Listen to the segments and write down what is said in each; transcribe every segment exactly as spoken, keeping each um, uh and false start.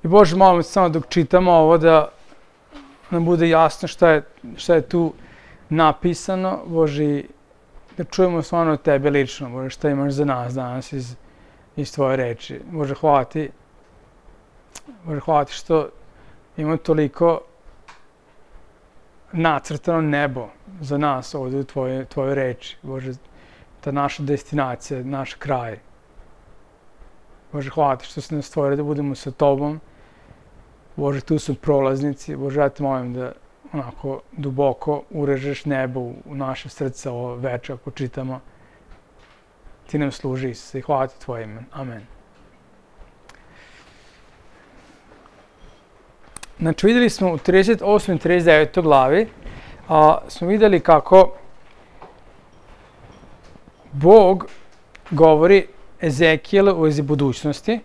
I Bože, molimo se samo dok čitamo ovo da nam bude jasno šta je, šta je tu napisano, Bože, da čujemo stvarno od Tebe lično, Bože, šta imaš za nas danas iz, iz Tvoje reči. Bože, hvala Ti, Bože, hvala Ti što imamo toliko nacrtano nebo za nas ovdje u Tvoje, Tvoje reči. Bože, ta naša destinacija, naš kraj. Bože, hvala Ti što si nas stvorio da budemo sa Tobom. Bože, tu su prolaznici. Bože, ja Te molim da onako duboko urežeš nebo u naše srce ovo veče ako čitamo. Ti nam služi, Isuse, i hvala Ti Tvoje ime. Amen. Znači, vidjeli smo u trideset osmoj i trideset devetoj glavi, a, smo vidjeli kako Bog govori Ezekijelu u vezi budućnosti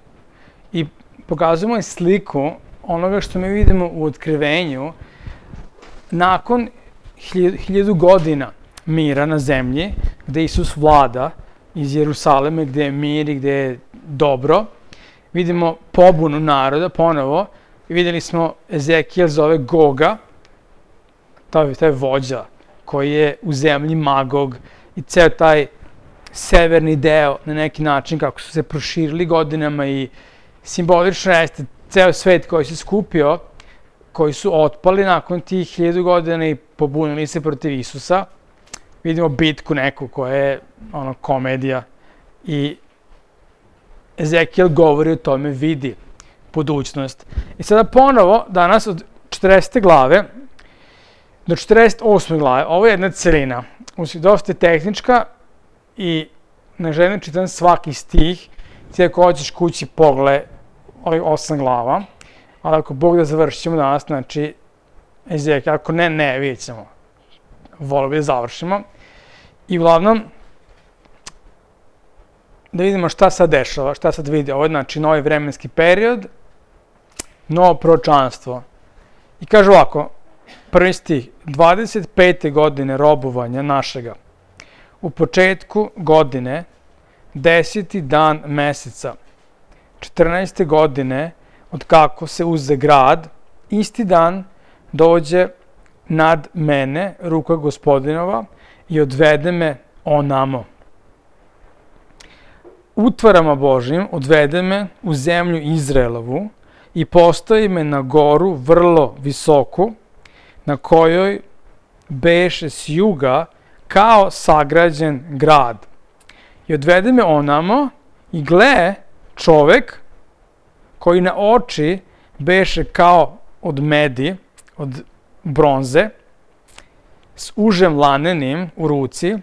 i pokazujemo je sliku onoga što mi vidimo u otkrivenju nakon hiljadu, hiljadu godina mira na zemlji, gdje Isus vlada iz Jerusaleme, gdje je mir i gdje je dobro. Vidimo pobunu naroda ponovo i vidjeli smo Ezekijel zove Goga, to je, to je vođa koji je u zemlji Magog i ceo taj severni deo na neki način kako su se proširili godinama i simbolično jeste ceo svet koji se skupio, koji su otpali nakon tih hiljadu godina i pobunili se protiv Isusa. Vidimo bitku neku koja je ono komedija i Ezekijel govori o tome, vidi budućnost. I sada ponovo, danas od četrdesete glave do četrdeset osme glave, ovo je jedna celina, dosta je tehnička i ne želim čitam svaki stih, ti ako hoćeš kući pogle ovih osam glava, ali ako Bog da završimo danas, znači Ezekijel, ako ne, ne, vidjet ćemo, volio bi da završimo. I uglavnom, da vidimo šta sad dešava, šta sad vidi. Ovo je znači novi vremenski period, novo proročanstvo. I kaže ovako, prvi stih, dvadeset pete godine robovanja našega, u početku godine, deseti dan meseca, četrnaeste godine, od kako se uze grad, isti dan dođe nad mene ruka Gospodinova i odvede me onamo. Utvarama Božjim odvede me u zemlju Izraelovu i postavi me na goru vrlo visoku, na kojoj beše s juga kao sagrađen grad. I odvede me onamo i gle čovek koji na oči beše kao od medi, od bronze, s užem lanenim u ruci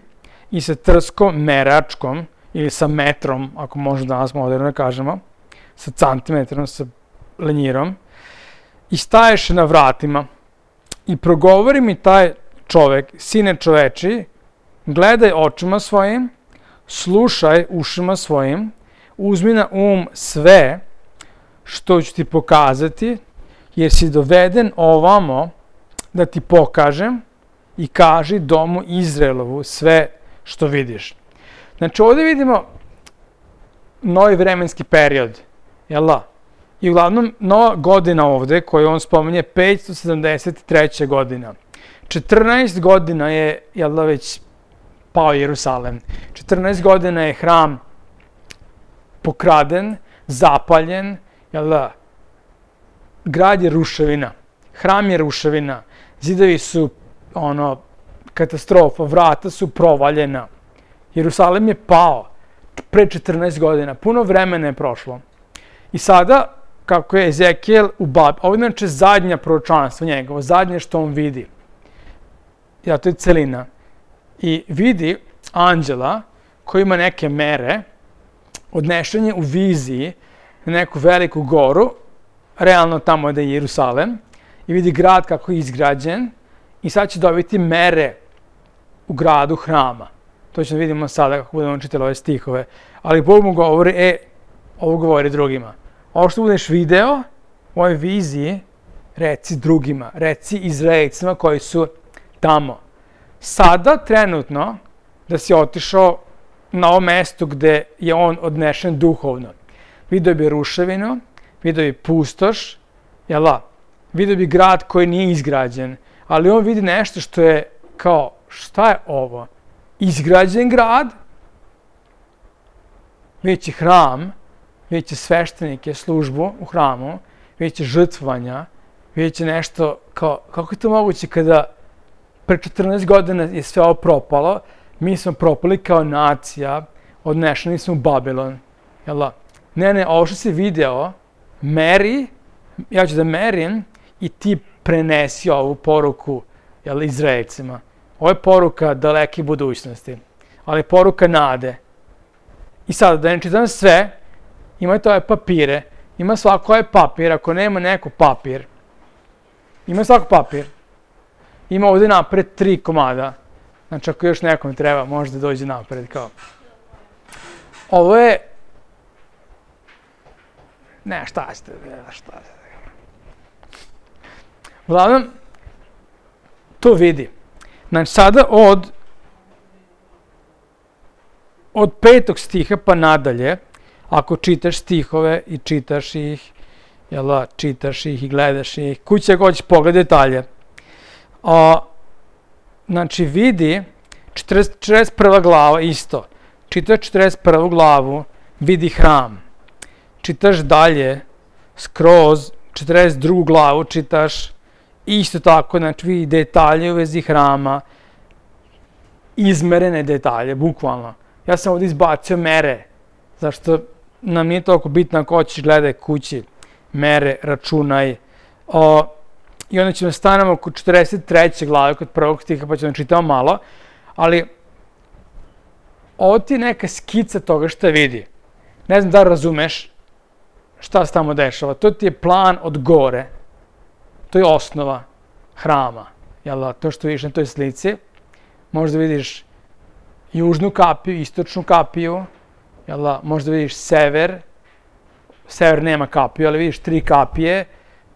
i sa trskom meračkom, ili sa metrom, ako možemo danas moderno kažemo, sa centimetrom, sa lenjirom, i staješe na vratima. I progovori mi taj čovek, sine čoveči, gledaj očima svojim, slušaj ušima svojim, uzmi na um sve što ću ti pokazati, jer si doveden ovamo da ti pokažem i kaži domu Izraelovu sve što vidiš. Znači ovdje vidimo novi vremenski period, jel da? I uglavnom nova godina ovdje koju on spominje petsto sedamdeset treća godina. četrnaest godina je, jel da, već pao Jerusalem. četrnaest godina je hram pokraden, zapaljen, jel da? Grad je ruševina, hram je ruševina, zidovi su ono katastrofa, vrata su provaljena. Jerusalim je pao pre četrnaest godina, puno vremena je prošlo. I sada, kako je Ezekijel u Babi, ovo je znači zadnja proročanstva njegovo, zadnje što on vidi. Ja, to je celina. I vidi anđela koji ima neke mere, odnešen je u viziji na neku veliku goru, realno tamo da je Jerusalem, i vidi grad kako je izgrađen i sad će dobiti mere u gradu hrama. To ćemo vidimo sada kako budemo čitali ove stihove. Ali Bog mu govori, e, ovo govori drugima. Ovo što budeš video u ovoj viziji, reci drugima, reci Izraelcima koji su tamo. Sada, trenutno, da si otišao na ovo mesto gde je on odnešen duhovno. Video bi ruševinu, video bi pustoš, jel da? Video bi grad koji nije izgrađen, ali on vidi nešto što je kao, šta je ovo? Izgrađen grad, vidjet će hram, vidjet će sveštenike, službu u hramu, vidjet će žrtvovanja, vidjet će nešto kao, kako je to moguće kada pre četrnaest godina je sve ovo propalo, mi smo propali kao nacija, odnešeni smo u Babilon, jel da? Ne, ne, ovo što si video, meri, ja ću da merim i ti prenesi ovu poruku, jel, Izraelcima. Ovo je poruka daleke budućnosti, ali poruka nade. I sad, da ne čitam sve, imate ove papire, ima svako ovaj papir, ako nema neko papir, ima svako papir, ima ovde napred tri komada, znači ako još nekom treba, može da dođe napred, kao. Ovo je, ne, šta ćete, šta ćete. Uglavnom, to vidi. Znači, sada od od petog stiha pa nadalje, ako čitaš stihove i čitaš ih, jel da, čitaš ih i gledaš ih, kuće ako hoćeš pogledaj detalje. A, znači, vidi, četrdeset prva glava isto. Čitaš četrdeset prvu glavu, vidi hram. Čitaš dalje, skroz, četrdeset drugu glavu čitaš, isto tako, znači vidi detalje u vezi hrama, izmerene detalje, bukvalno. Ja sam ovdje izbacio mere, zašto nam nije toliko bitno ako hoćeš gledaj kući, mere, računaj. O, I onda ćemo stanemo kod četrdeset treće glave, kod prvog stiha, pa ćemo čitamo malo, ali ovo ti je neka skica toga što vidi. Ne znam da razumeš šta se tamo dešava. To ti je plan od gore. To je osnova hrama. Jel da? To što vidiš na toj slici. Možda vidiš južnu kapiju, istočnu kapiju. Jel da? Možda vidiš sever. Sever nema kapiju, ali vidiš tri kapije.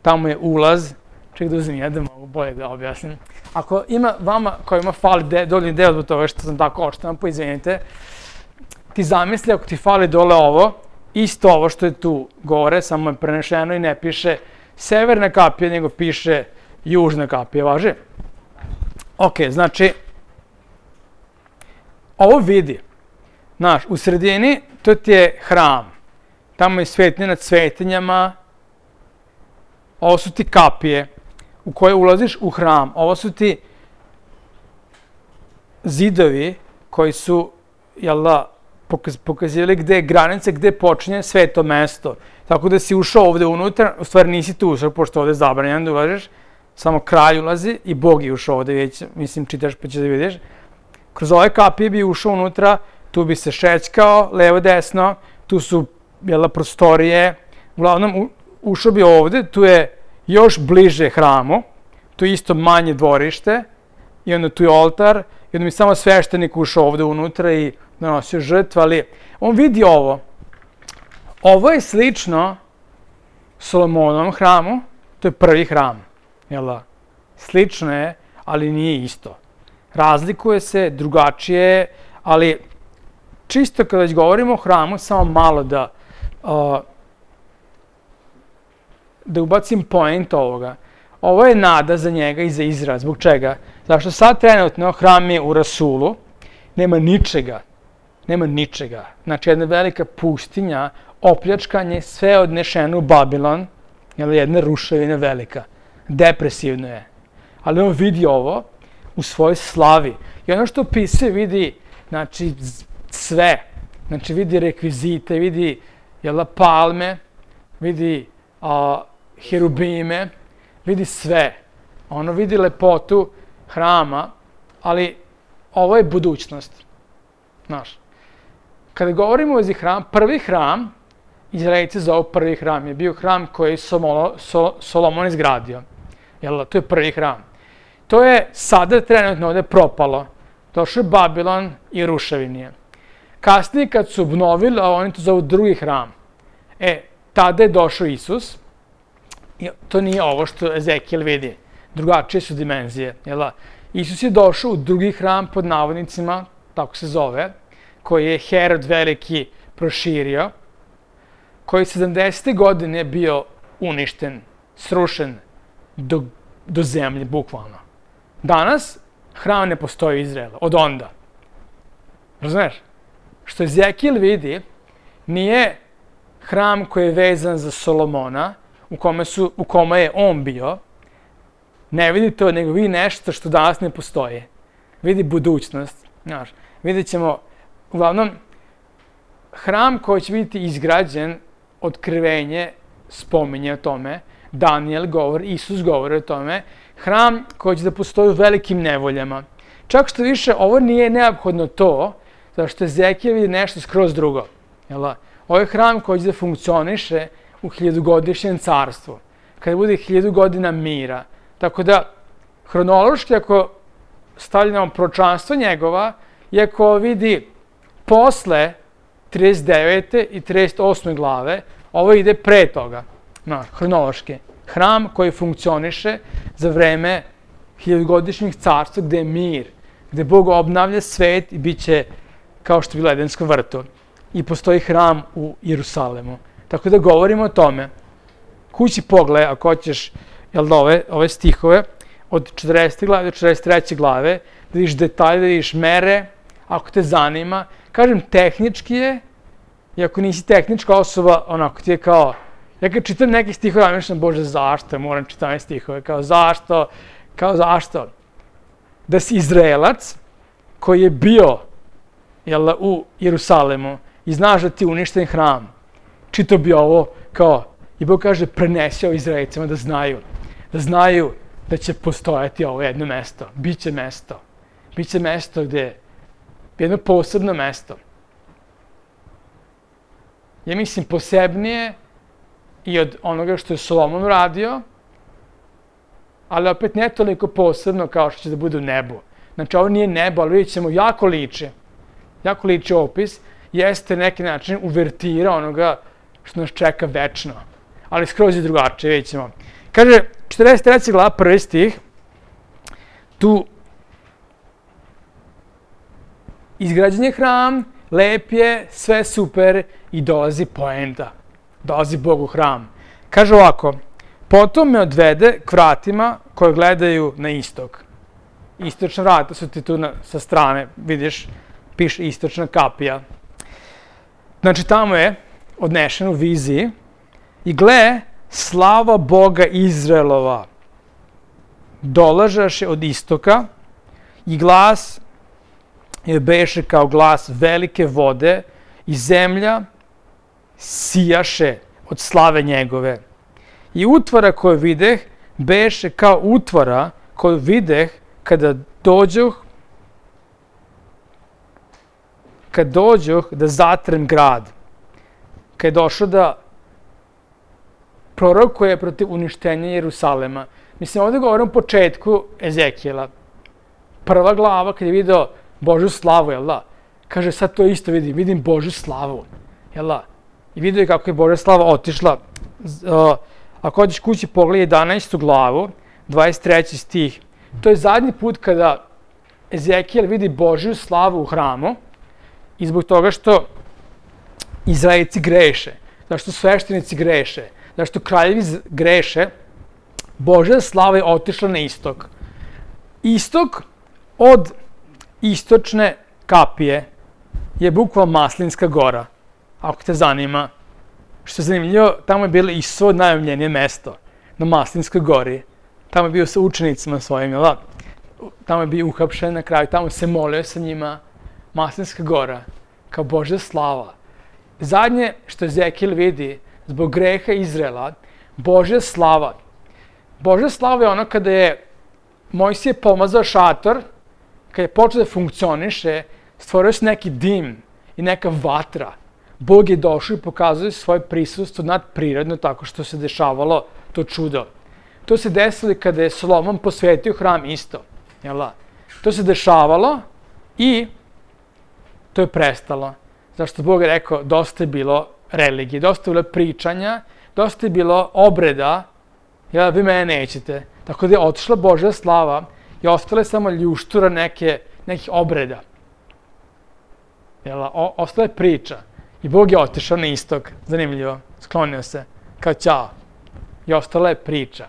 Tamo je ulaz. Ček da uzim jedan, mogu bolje da objasnim. Ako ima vama kojima fali de, dovoljni deo zbog toga što sam tako oštetan, pa izvinite, ti zamisli ako ti fali dole ovo, isto ovo što je tu gore, samo je prenešeno i ne piše severna kapija, nego piše južna kapija, važi? Ok, znači, ovo vidi. Znaš, u sredini to ti je hram. Tamo je svetinja nad svetinjama. Ovo su ti kapije u koje ulaziš u hram. Ovo su ti zidovi koji su, jel da, pokaz, pokazivali gde je granica, gde počinje sveto mesto. Tako da si ušao ovde unutra, u stvari nisi tu ušao, pošto ovde je zabranjeno da ulaziš, samo kralj ulazi i Bog je ušao ovde, već, mislim, čitaš pa ćeš da vidiš. Kroz ove kapije bi ušao unutra, tu bi se šećkao, levo desno, tu su, jel da, prostorije, uglavnom u, ušao bi ovde, tu je još bliže hramu, tu je isto manje dvorište, i onda tu je oltar, i onda bi samo sveštenik ušao ovde unutra i donosio žrtvu, ali on vidi ovo. Ovo je slično Solomonovom hramu, to je prvi hram, jel da? Slično je, ali nije isto. Razlikuje se, drugačije, ali čisto kada već govorimo o hramu, samo malo da uh, da ubacim point ovoga. Ovo je nada za njega i za Izrael. Zbog čega? Zašto sad trenutno hram je u Rasulu, nema ničega. Nema ničega. Znači jedna velika pustinja, opljačkanje, sve odnešeno u Babilon, jedna ruševina velika. Depresivno je. Ali on vidi ovo u svojoj slavi. I ono što opisuje vidi, znači, sve. Znači vidi rekvizite, vidi, jel da, palme, vidi a, herubime, vidi sve. Ono vidi lepotu hrama, ali ovo je budućnost. Znaš, kada govorimo o vezi hram, prvi hram, Izraelci zovu prvi hram, je bio hram koji je Solomon, Solomon izgradio. Jel da, to je prvi hram. To je sada trenutno ovde propalo. Došao je Babilon i ruševinije. Kasnije kad su obnovili, oni to zovu drugi hram. E, tada je došao Isus. I to nije ovo što Ezekijel vidi. Drugačije su dimenzije. Jel da? Isus je došao u drugi hram pod navodnicima, tako se zove, koji je Herod veliki proširio. koji sedamdesete godine bio uništen, srušen do, do zemlje, bukvalno. Danas hram ne postoji u Izraelu, od onda. Razumeš? Što Ezekijel vidi, nije hram koji je vezan za Solomona, u kome, su, u kome je on bio, ne vidi to, nego vidi nešto što danas ne postoji. Vidi budućnost. Znaš, vidjet ćemo, uglavnom, hram koji će biti izgrađen, otkrivenje spominje o tome, Daniel govori, Isus govori o tome, hram koji će da postoji u velikim nevoljama. Čak što više, ovo nije neophodno to, zato što Ezekijel vidi nešto skroz drugo. Jel? Ovo je hram koji će da funkcioniše u hiljadugodišnjem carstvu, kada bude hiljadu godina mira. Tako da, hronološki, ako stavljamo proročanstvo njegova, i ako vidi posle trideset devete i trideset osme glave, ovo ide pre toga, no, hronološki. Hram koji funkcioniše za vreme hiljadugodišnjeg carstva gde je mir, gde Bog obnavlja svet i bit će kao što je bilo u Edenskom vrtu. I postoji hram u Jerusalemu. Tako da govorimo o tome. Kući pogledaj, ako hoćeš, jel da ove, ove stihove, od četrdesete glave do četrdeset treće glave, da vidiš detalje, da vidiš mere, ako te zanima. Kažem, tehnički je, i ako nisi tehnička osoba, onako ti je kao, ja kad čitam neke stihove, ja mislim, Bože, zašto? Moram čitati stihove, kao zašto? Kao zašto? Da si Izraelac koji je bio, jel, u Jerusalemu i znaš da ti je uništen hram, čitao bi ovo kao, i Bog kaže, prenesi ovo Izraelcima da znaju, da znaju da će postojati ovo jedno mesto, biće mesto, biće mesto gde, jedno posebno mesto. Ja mislim posebnije i od onoga što je Solomon radio, ali opet ne toliko posebno kao što će da bude u nebu. Znači, ovo nije nebo, ali vidjet ćemo, jako liči, jako liči opis, jeste neki način uvertira onoga što nas čeka večno. Ali skroz je drugačije, vidjet ćemo. Kaže, četrdeset treća glava, prvi stih, tu izgrađen je hram, lep je, sve super i dolazi poenta. Dolazi Bog u hram. Kaže ovako, potom me odvede k vratima koje gledaju na istok. Istočna vrata su ti tu na, sa strane, vidiš, piše istočna kapija. Znači, tamo je odnešen u viziji i gle, slava Boga Izraelova dolažaše od istoka i glas je beše kao glas velike vode i zemlja sijaše od slave njegove. I utvara koju videh beše kao utvara koju videh kada dođoh kad dođoh da zatrem grad. Kad je došao da prorokuje protiv uništenja Jerusalema. Mislim, ovdje govorim o početku Ezekijela. Prva glava, kad je video Božju slavu, jel da? Kaže, sad to isto vidim, vidim Božju slavu, jel da? I vidio je kako je Božja slava otišla. Uh, ako hoćeš kući, pogledaj jedanaestu glavu, dvadeset treći stih. To je zadnji put kada Ezekijel vidi Božju slavu u hramu i zbog toga što Izraelci greše, zašto sveštenici greše, zašto kraljevi greše, Božja slava je otišla na istok. Istok od istočne kapije je bukvalno Maslinska gora, ako te zanima. Što je zanimljivo, tamo je bilo Isusovo najomljenije mesto, na Maslinskoj gori. Tamo je bio sa učenicima svojim, jel da? Tamo je bio uhapšen na kraju, tamo se molio sa njima. Maslinska gora, kao Božja slava. Zadnje što Ezekijel vidi, zbog greha Izraela, Božja slava. Božja slava je ono kada je Mojsije pomazao šator, kada je počeo da funkcioniše, stvorio se neki dim i neka vatra. Bog je došao i pokazuje svoje prisustvo nadprirodno tako što se dešavalo to čudo. To se desilo kada je Solomon posvetio hram isto. Jel da? To se dešavalo i to je prestalo. Zašto Bog je rekao, dosta je bilo religije, dosta je bilo pričanja, dosta je bilo obreda, jel, vi mene nećete. Tako da je otišla Božja slava i ostala je samo ljuštura neke, nekih obreda. Jel, o, ostala je priča. I Bog je otišao na istok, zanimljivo, sklonio se, kao ćao. I ostala je priča.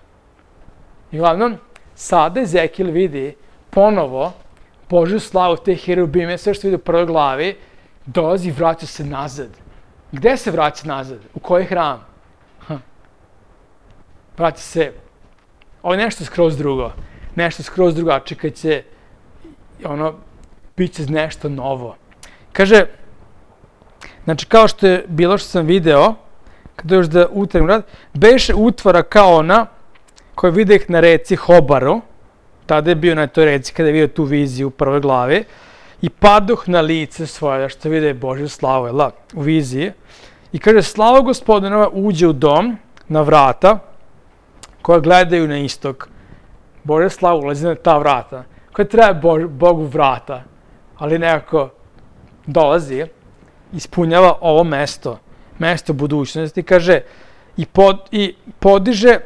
I uglavnom, sada Ezekijel vidi ponovo Božju slavu, te herubime, sve što vidi u prvoj glavi, dolazi i vraća se nazad. Gde se vraća nazad? U koji hram? Hm. Vraća se, ovo je nešto skroz drugo, nešto skroz drugačije, kad će, ono, bit će nešto novo. Kaže, znači, kao što je bilo što sam video, kada još da utrem rad, beše utvara kao ona koju videh na reci Hobaru, tada je bio na toj reci kada je vidio tu viziju u prvoj glavi, i paduh na lice svoje, što vide Božju slavu, jel, u viziji. I kaže, slava Gospodinova uđe u dom na vrata koja gledaju na istok. Božja slava ulazi na ta vrata. Koja treba Bož, Bogu vrata, ali nekako dolazi, ispunjava ovo mesto, mesto budućnosti. Kaže, i, pod, i podiže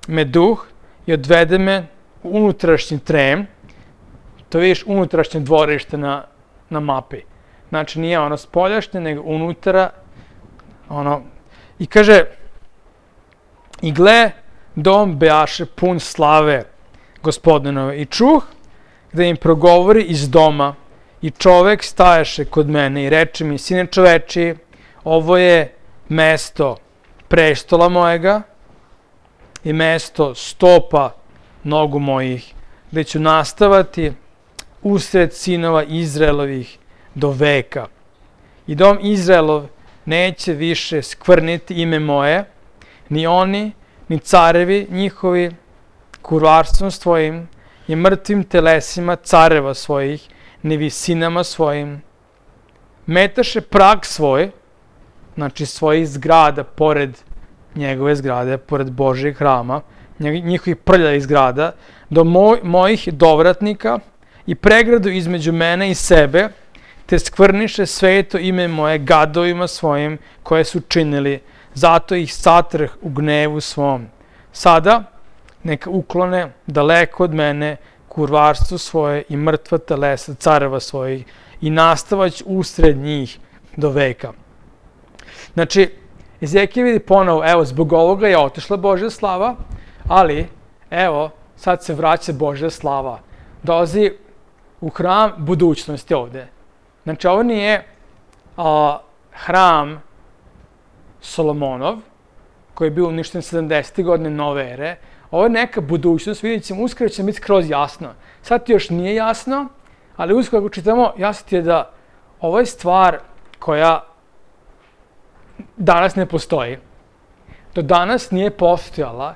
me duh i odvede me u unutrašnji trem. To vidiš unutrašnje dvorište na, na mapi. Znači, nije ono spoljašnje, nego unutra. Ono. I kaže, i gle, dom bejaše pun slave Gospodinove. I čuh da im progovori iz doma. I čovek staješe kod mene i reče mi, sine čoveči, ovo je mesto prestola mojega i mesto stopa nogu mojih, gde ću nastavati usred sinova Izraelovih do veka. I dom Izraelov neće više skvrniti ime moje, ni oni, ni carevi njihovi, kurvarstvom svojim i mrtvim telesima careva svojih, ni visinama svojim. Metaše prag svoj, znači svojih zgrada pored njegove zgrade, pored Božjeg hrama, njihovih prljavih zgrada, do moj, mojih dovratnika i pregradu između mene i sebe, te skvrniše sveto ime moje gadovima svojim koje su činili, zato ih satrh u gnevu svom. Sada neka uklone daleko od mene kurvarstvo svoje i mrtva telesa careva svojih i nastavać usred njih do veka. Znači, Ezekijel vidi ponovo, evo, zbog ovoga je otišla Božja slava, ali, evo, sad se vraća Božja slava. Dolazi u hram budućnosti ovde. Znači, ovo nije a, hram Solomonov, koji je bio uništen sedamdesete godine nove ere. Ovo je neka budućnost, vidjet ćemo, uskoro će biti skroz jasno. Sad ti još nije jasno, ali uskoro ako čitamo, jasno ti je da ovo je stvar koja danas ne postoji. Do danas nije postojala,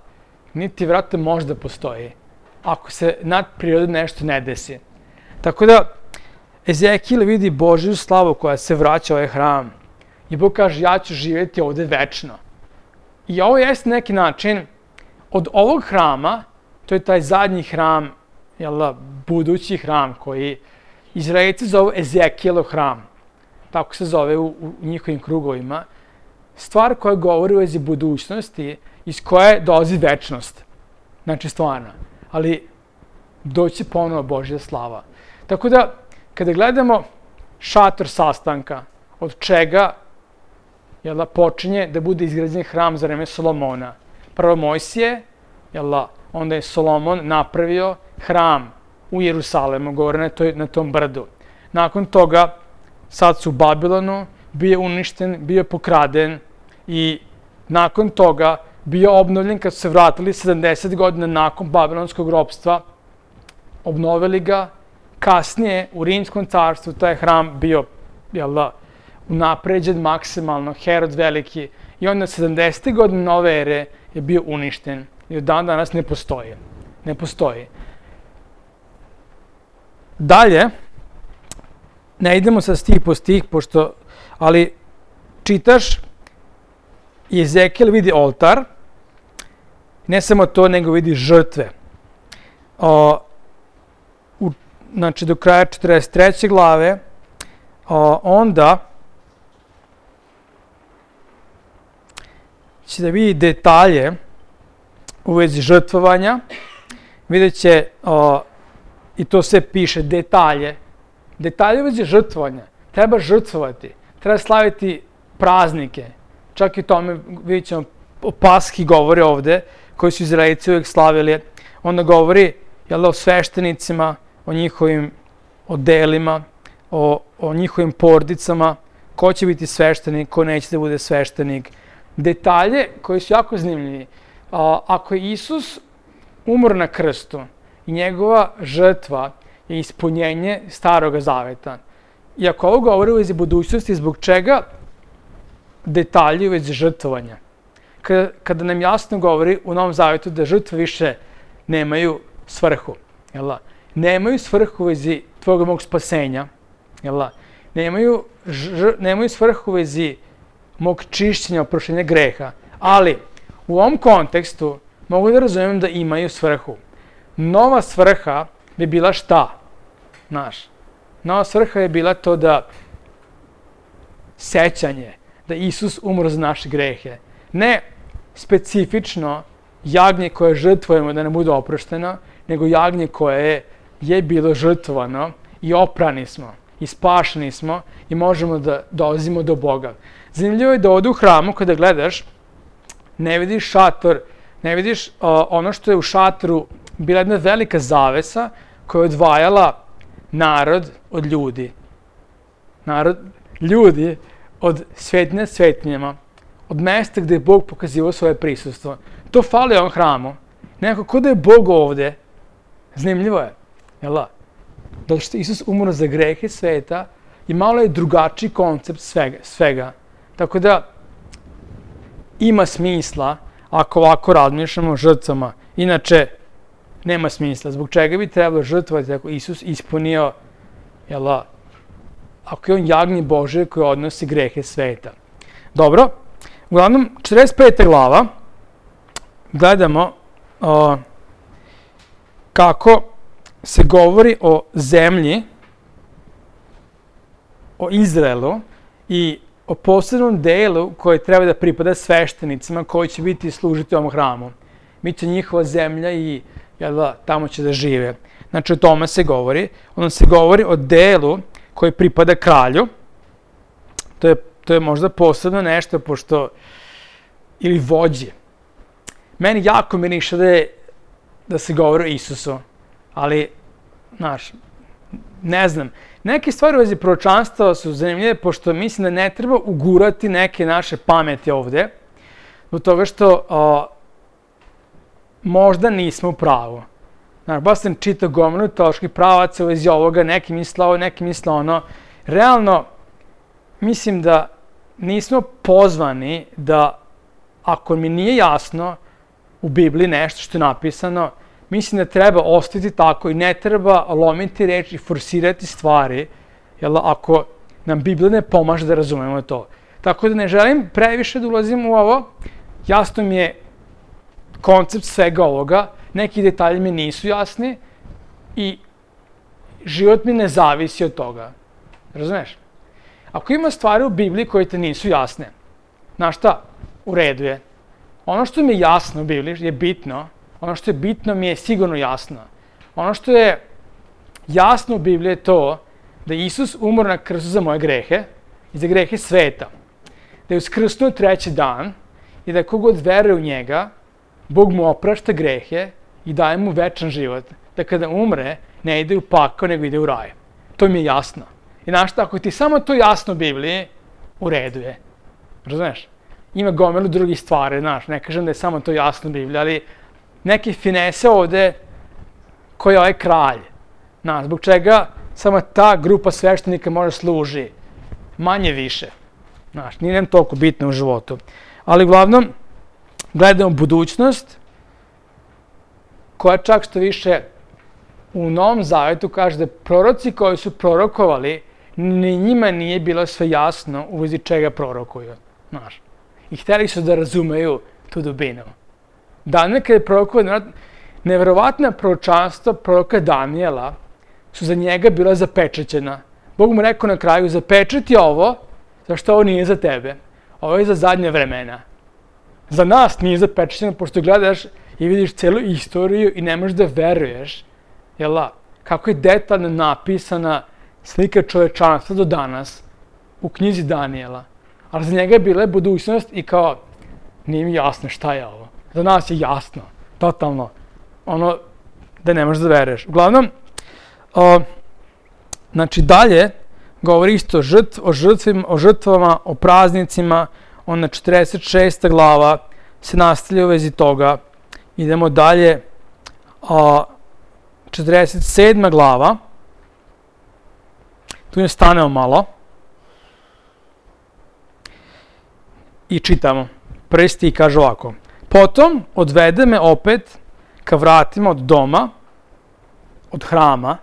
niti vjerojatno možda postoji, ako se nad prirodom nešto ne desi. Tako da, Ezekijel vidi Božju slavu koja se vraća u ovaj hram. I Bog kaže, ja ću živjeti ovde večno. I ovo jeste neki način, od ovog hrama, to je taj zadnji hram, jel, budući hram koji Izraelci zovu Ezekijelov hram. Tako se zove u, u njihovim krugovima. Stvar koja govori o vezi budućnosti, iz koje dolazi večnost. Znači, stvarno. Ali doći ponovo Božja slava. Tako da, kada gledamo šator sastanka, od čega jel, počinje da bude izgrađen hram za vreme Solomona. Prvo Mojsije, jel, onda je Solomon napravio hram u Jerusalemu, govore na, toj, na tom brdu. Nakon toga, sad su u Babilonu, bio je uništen, bio je pokraden i nakon toga bio obnovljen kad su se vratili sedamdeset godina nakon Babilonskog ropstva. Obnovili ga. Kasnije u Rimskom carstvu taj hram bio jel da, unapređen maksimalno, Herod veliki, i onda sedamdesete godine nove ere je bio uništen i od dan danas ne postoji. Ne postoji. Dalje, ne idemo sa stih po stih, pošto, ali čitaš i Ezekijel vidi oltar, ne samo to, nego vidi žrtve. O, u, znači, do kraja četrdeset treće glave, o, onda će da vidi detalje u vezi žrtvovanja, vidjet će, o, i to sve piše, detalje, detalje u vezi žrtvovanja. Treba žrtvovati, treba slaviti praznike. Čak i tome, vidjet ćemo, o Paski govori ovde, koji su Izraelici uvijek slavili. Onda govori, jel, o sveštenicima, o njihovim odelima, o, o njihovim porodicama, ko će biti sveštenik, ko neće da bude sveštenik. Detalje koji su jako zanimljivi. A, ako je Isus umro na krstu i njegova žrtva je ispunjenje Staroga Zaveta, i ako ovo govori u vezi budućnosti, zbog čega detalji u vezi žrtvovanja? Kada, kada nam jasno govori u Novom Zavetu da žrtve više nemaju svrhu, jel da? Nemaju svrhu u vezi tvojeg mog spasenja, jel da? Nemaju, ž, nemaju svrhu u vezi mog čišćenja, oproštenja greha, ali u ovom kontekstu mogu da razumijem da imaju svrhu. Nova svrha bi bila šta? Znaš, nova svrha je bila to da sećanje, da Isus umro za naše grehe. Ne specifično jagnje koje žrtvujemo da ne bude oprošteno, nego jagnje koje je, je bilo žrtvovano i oprani smo, i spašeni smo i možemo da dolazimo do Boga. Zanimljivo je da ovdje u hramu kada gledaš, ne vidiš šator, ne vidiš uh, ono što je u šatoru bila jedna velika zavesa koja je odvajala narod od ljudi. Narod, ljudi od svetinja svetinjama, od mesta gde je Bog pokazivao svoje prisustvo. To fali ovom hramu. Nekako ko da je Bog ovde, zanimljivo je, jel da? Zato što Isus umro za grehe sveta i malo je drugačiji koncept svega. svega. Tako da ima smisla ako ovako razmišljamo o žrtvama. Inače, nema smisla. Zbog čega bi trebalo žrtvovati ako Isus ispunio, jel da, ako je on jagnje Bože koji odnosi grehe sveta. Dobro, uglavnom, četrdeset peta glava, gledamo o, kako se govori o zemlji, o Izraelu i o posebnom delu koji treba da pripada sveštenicima koji će biti služiti u ovom hramu. Biće njihova zemlja i, jel da, tamo će da žive. Znači, o tome se govori. Onda se govori o delu koji pripada kralju. To je, to je možda posebno nešto, pošto, ili vođe. Meni jako miriše da, je, da se govori o Isusu, ali, znaš, ne znam. Neke stvari u vezi proročanstva su zanimljive, pošto mislim da ne treba ugurati neke naše pameti ovde, zbog toga što o, možda nismo u pravu. Znaš, baš sam čitao gomilu teoloških pravaca u vezi ovoga, neki misle ovo, neki misle ono. Realno, mislim da nismo pozvani da, ako mi nije jasno u Bibliji nešto što je napisano, mislim da treba ostaviti tako i ne treba lomiti reč i forsirati stvari, jel, ako nam Biblija ne pomaže da razumemo to. Tako da ne želim previše da ulazim u ovo. Jasno mi je koncept svega ovoga, neki detalji mi nisu jasni i život mi ne zavisi od toga. Razumeš? Ako ima stvari u Bibliji koje te nisu jasne, znaš šta? U redu je. Ono što mi je jasno u Bibliji je bitno. Ono što je bitno mi je sigurno jasno. Ono što je jasno u Bibliji je to da je Isus umro na krstu za moje grehe i za grehe sveta. Da je uskrsnuo treći dan i da kogod veruje u njega, Bog mu oprašta grehe i daje mu večan život. Da kada umre, ne ide u pakao, nego ide u raj. To mi je jasno. I znaš šta, ako ti samo to jasno u Bibliji, u redu je. Razumeš? Ima gomilu drugih stvari, znaš, ne kažem da je samo to jasno u Bibliji, ali neke finese ovde koji je ovaj kralj. Znaš, zbog čega samo ta grupa sveštenika može služi. Manje više. Znaš, nije nam toliko bitno u životu. Ali uglavnom, gledamo budućnost, koja čak što više u Novom Zavetu kaže da proroci koji su prorokovali, ni njima nije bilo sve jasno u vezi čega prorokuju. Znaš, i hteli su da razumeju tu dubinu. Daniel kada je prorokovao, neverovatna proročanstva proroka Danijela su za njega bila zapečećena. Bog mu rekao na kraju, zapečati ovo, zašto ovo nije za tebe. Ovo je za zadnje vremena. Za nas nije zapečećeno, pošto gledaš i vidiš celu istoriju i ne možeš da veruješ, jel da, kako je detaljno napisana slika čovečanstva do danas u knjizi Danijela. ali za njega je bila budućnost i kao, nije mi jasno šta je ovo. Za nas je jasno, totalno, ono, da ne možeš da veruješ. Uglavnom, o, znači dalje, govori isto žrtv, o, žrtvima, o žrtvama, o praznicima, ona četrdeset šesta glava se nastavlja u vezi toga. Idemo dalje, a, četrdeset sedma glava, tu ne stanemo malo i čitamo. Prvi stih kaže ovako. Potom odvede me opet ka vratima od doma, od hrama,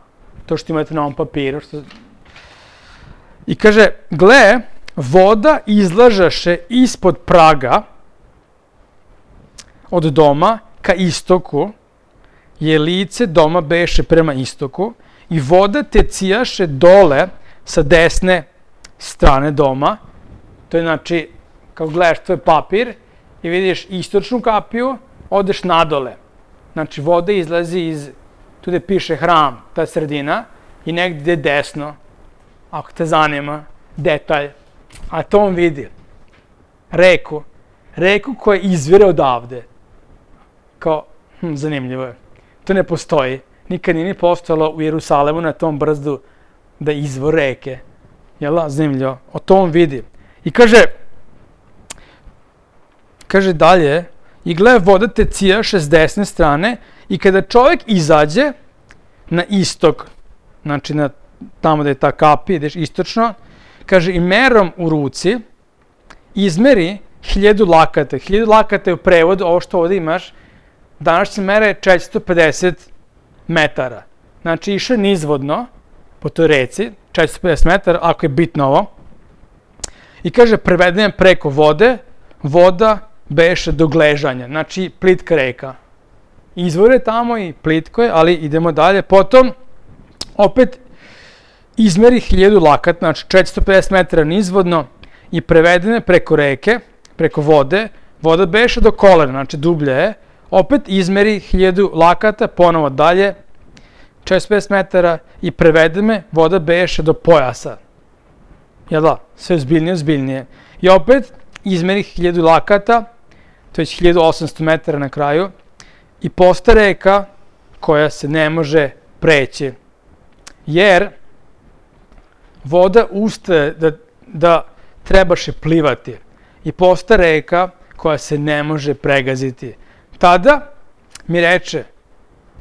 to što imate na ovom papiru. Što... I kaže, gle, voda izlažaše ispod praga od doma ka istoku, je lice doma beše prema istoku i voda tecijaše dole sa desne strane doma. To je znači, kao gledaš tvoj papir i vidiš istočnu kapiju, odeš nadole. Znači, voda izlazi iz, tu gde piše hram, ta sredina, i negdje desno, ako te zanima, detalj. A to on vidi. Reku. Reku koja izvire odavde. Kao, hm, zanimljivo je. To ne postoji. Nikad nije ni postojalo u Jerusalemu na tom brzdu da izvor reke. Jel da? Zanimljivo. O to on vidi. I kaže, kaže dalje, i gle, voda tecijaše s desne strane i kada čovjek izađe na istok, znači na tamo da je ta kapija, ideš istočno, kaže, i merom u ruci izmeri hiljadu lakata. Hiljadu lakata je u prevodu, ovo što ovdje imaš, današnje mere je četiristo pedeset metara. Znači, išao nizvodno po toj reci, četiristo pedeset metara, ako je bitno ovo. I kaže, prevedem preko vode, voda beše do gležanja, znači plitka reka. Izvor je tamo i plitko je, ali idemo dalje. Potom, opet, izmeri hiljadu lakat, znači četiristo pedeset metara nizvodno i prevedene preko reke, preko vode, voda beše do kolena, znači dublje je. Opet izmeri hiljadu lakata, ponovo dalje, četiristo pedeset metara i prevedene, voda beše do pojasa. Jel da? Sve zbiljnije, zbiljnije. I opet izmeri hiljadu lakata, to je hiljadu osamsto metara na kraju, i posta reka koja se ne može preći. Jer voda ustaje da, da trebaše plivati i posta reka koja se ne može pregaziti. Tada mi reče,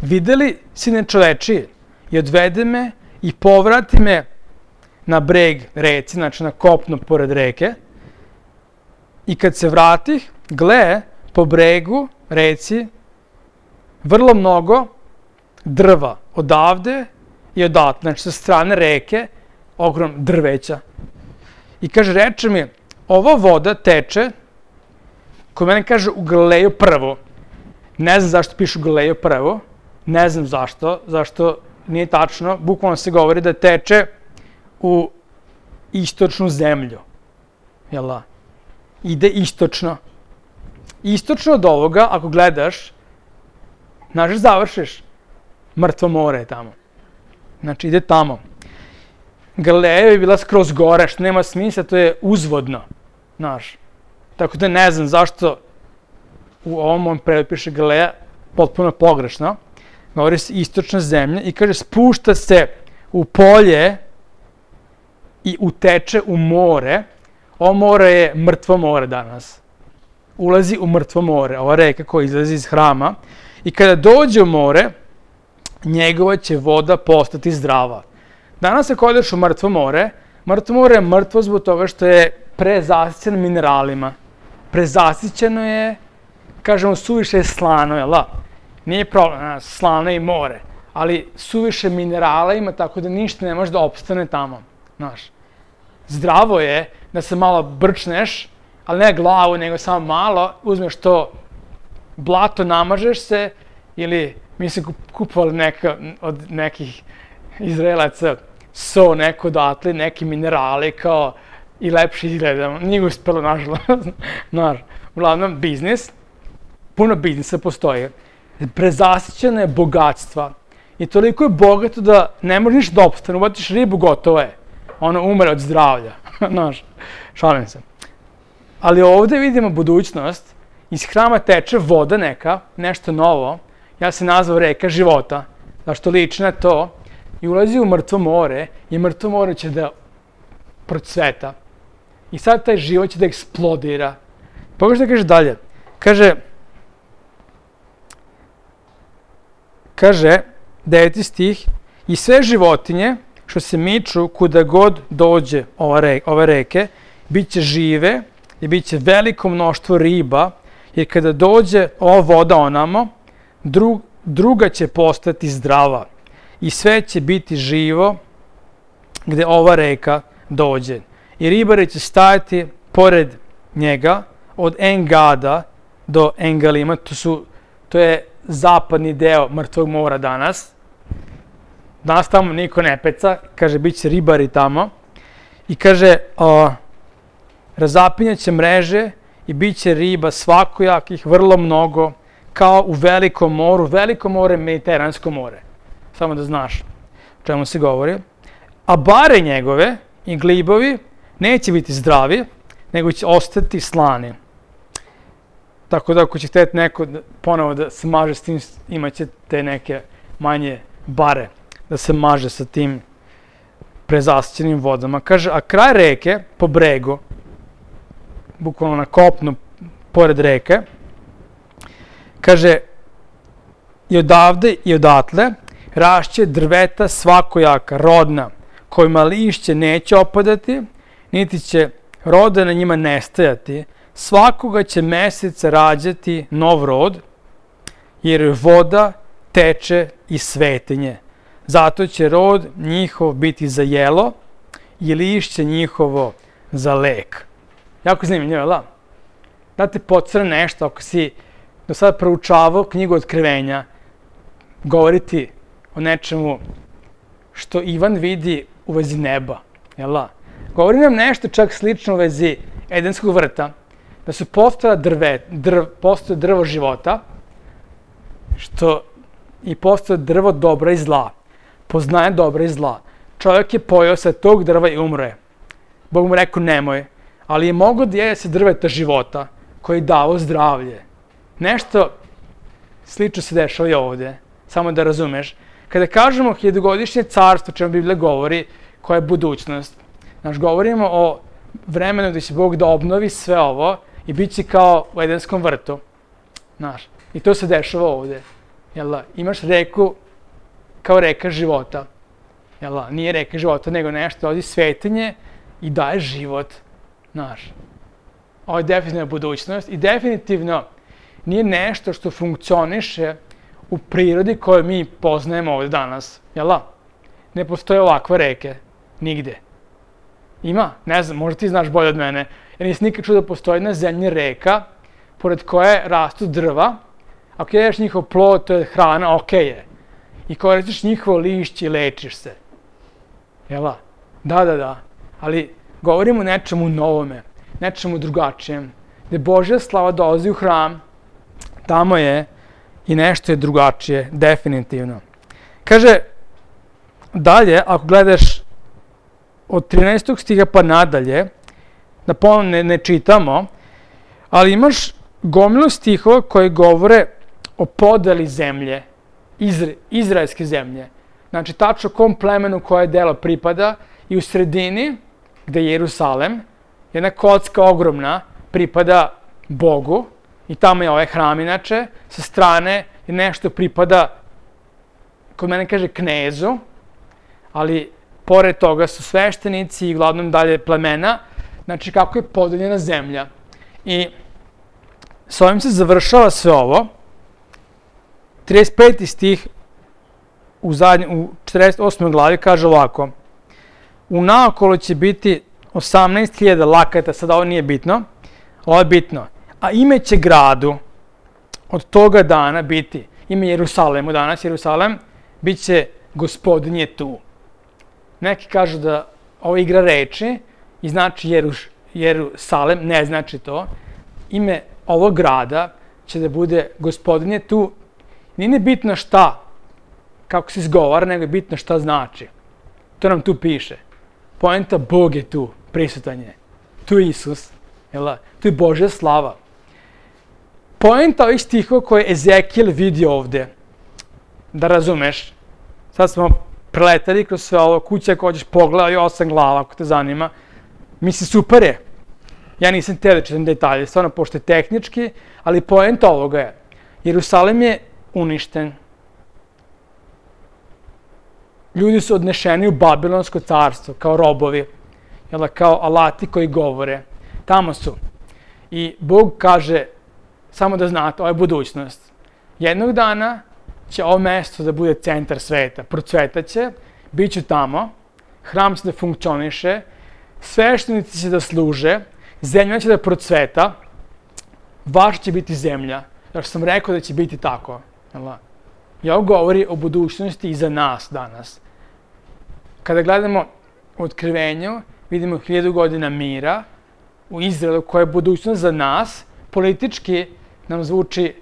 videli sine čovečije i odvede me i povrati me na breg reci, znači na kopno pored reke. I kad se vratih, gle, po bregu reci, vrlo mnogo drva odavde i odatle, znači sa strane reke, ogrom drveća. I kaže, reče mi, ova voda teče, ko mene kaže u Galileju prvo. Ne znam zašto pišu Galileju prvo, ne znam zašto, zašto nije tačno, bukvalno se govori da teče u istočnu zemlju. Jel da? Ide istočno. Istočno od ovoga, ako gledaš, znaš, završiš, mrtvo more je tamo. Znači, ide tamo. Galileja je bila skroz gore, što nema smisla, to je uzvodno, znaš. Tako da ne znam zašto u ovom mom prevodu piše Galileja, potpuno pogrešno. Govori se istočna zemlja i kaže, spušta se u polje i uteče u more. Ovo more je mrtvo more danas. Ulazi u mrtvo more, ova reka koja izlazi iz hrama. I kada dođe u more, njegova će voda postati zdrava. Danas ako odeš u mrtvo more, mrtvo more je mrtvo zbog toga što je prezasićeno mineralima. Prezasićeno je, kažemo, suviše je slano, jel da? Nije problem, slano je i more, ali suviše minerala ima, tako da ništa ne može da opstane tamo, znaš. Zdravo je da se malo brčneš, ali ne glavu, nego samo malo, uzmeš to blato, namažeš se, ili mi se kupovali neka od nekih Izraelaca so neko odatle, neki minerali kao i lepši izgledamo. Nije uspelo, nažalost. Znaš, uglavnom, biznis, puno biznisa postoji. Prezasićeno je bogatstva. I toliko je bogato da ne možeš ništa da opstane. Uvatiš ribu, gotovo je. Ono umre od zdravlja. Znaš, šalim se. Ali ovde vidimo budućnost, iz hrama teče voda neka, nešto novo, ja se nazvao reka života, zašto liči na to, i ulazi u mrtvo more, i mrtvo more će da procveta. I sad taj život će da eksplodira. Pogledaj što kaže dalje. Kaže, kaže, deveti stih, i sve životinje što se miču kuda god dođe ova re, ove reke, bit će žive i bit će veliko mnoštvo riba, jer kada dođe ova voda onamo, drug, druga će postati zdrava i sve će biti živo gde ova reka dođe. I ribari će stajati pored njega od En-Gada do En-Galima, to, su, to je zapadni deo Mrtvog mora danas. Danas tamo niko ne peca, kaže, bit će ribari tamo. I kaže, o, razapinjat će mreže i bit će riba svakojakih, vrlo mnogo, kao u velikom moru. Veliko more, Mediteransko more. Samo da znaš o čemu se govori. A bare njegove i glibovi neće biti zdravi, nego će ostati slani. Tako da ako će htjeti neko da, ponovo da se maže s tim, imat će te neke manje bare da se maže sa tim prezasićenim vodama. Kaže, a kraj reke, po bregu, bukvalno na kopnu, pored reke, kaže, i odavde i odatle rašće drveta svakojaka, rodna, kojima lišće neće opadati, niti će roda na njima nestajati. Svakoga će meseca rađati nov rod, jer voda teče iz svetinje. Zato će rod njihov biti za jelo i lišće njihovo za lek. Jako zanimljivo, je la? Da te podsjeti nešto, ako si do sada proučavao knjigu Otkrivenja, govoriti o nečemu što Ivan vidi u vezi neba, je la? Govori nam nešto čak slično u vezi Edenskog vrta, da su postojala drve, drv, postoje drvo života, što i postoje drvo dobra i zla, poznaje dobra i zla. Čovjek je pojeo sa tog drva i umre. Bog mu rekao nemoj, ali je mogao da jede se drveta života koji je dao zdravlje. Nešto slično se dešava i ovdje, samo da razumeš. Kada kažemo hiljadugodišnje carstvo, čemu Biblija govori, koja je budućnost, znaš, govorimo o vremenu gdje će Bog da obnovi sve ovo i bit će kao u Edenskom vrtu. Znaš, i to se dešava ovdje. Jel, imaš reku kao reka života. Jel, nije reka života, nego nešto od svetinje i daje život. Znaš, ovo je definitivno budućnost i definitivno nije nešto što funkcioniše u prirodi koju mi poznajemo ovdje danas. Jel, ne postoje ovakve reke nigde. Ima, ne znam, možda ti znaš bolje od mene, jer nisi nikad čuo da postoji na zemlji reka pored koje rastu drva. Ako jedeš njihov plod, to je hrana, okej je. I koristiš njihovo lišće i lečiš se. Jel' da, da, da. Ali govorimo o nečemu novome, nečemu drugačijem. Gde Božja slava dolazi u hram, tamo je i nešto je drugačije, definitivno. Kaže, dalje, ako gledaš od trinaestog stiha pa nadalje, da ponovno ne, ne čitamo, ali imaš gomilu stihova koji govore o podeli zemlje, izra, izraelske zemlje. Znači, tačno kom plemenu koje delo pripada i u sredini, gde je Jerusalem, jedna kocka ogromna pripada Bogu i tamo je ovaj hram inače, sa strane je nešto pripada, kod mene kaže knezu, ali pored toga su sveštenici i uglavnom dalje plemena, znači kako je podeljena zemlja. I s ovim se završava sve ovo. trideset peti stih u, zadnj, u četrdeset osmoj glavi kaže ovako: u naokolo će biti osamnaest hiljada lakata, sad ovo nije bitno, ovo je bitno, a ime će gradu od toga dana biti, ime Jerusalemu danas, Jerusalem, bit će Gospodin je tu. Neki kažu da ovo igra reči i znači Jeruš, Jerusalem, ne znači to. Ime ovog grada će da bude Gospodin je tu. Nije bitno šta, kako se izgovara, nego je bitno šta znači. To nam tu piše. Poenta, Bog je tu, prisutan je. Tu je Isus. Jel da? To je Božja slava. Poenta ovih stihova koje Ezekijel vidi ovde, da razumeš, sad smo preletali kroz sve ovo, kuća ako hoćeš pogledaj osam glava ako te zanima, mislim super je. Ja nisam teo da čitam detalje, stvarno pošto je tehnički, ali poenta ovoga je, Jerusalim je uništen. Ljudi su odnešeni u Babilonsko carstvo kao robovi, jel, kao alati koji govore. Tamo su. I Bog kaže, samo da znate, ovo je budućnost. Jednog dana će ovo mesto da bude centar sveta, procvetaće, bit ću tamo, hram će da funkcioniše, sveštenici će da služe, zemlja će da procveta, vaša će biti zemlja, jer sam rekao da će biti tako. I ovo govori o budućnosti i za nas danas. Kada gledamo u Otkrivenju, vidimo hiljadu godina mira u Izraelu koja je budućnost za nas, politički nam zvuči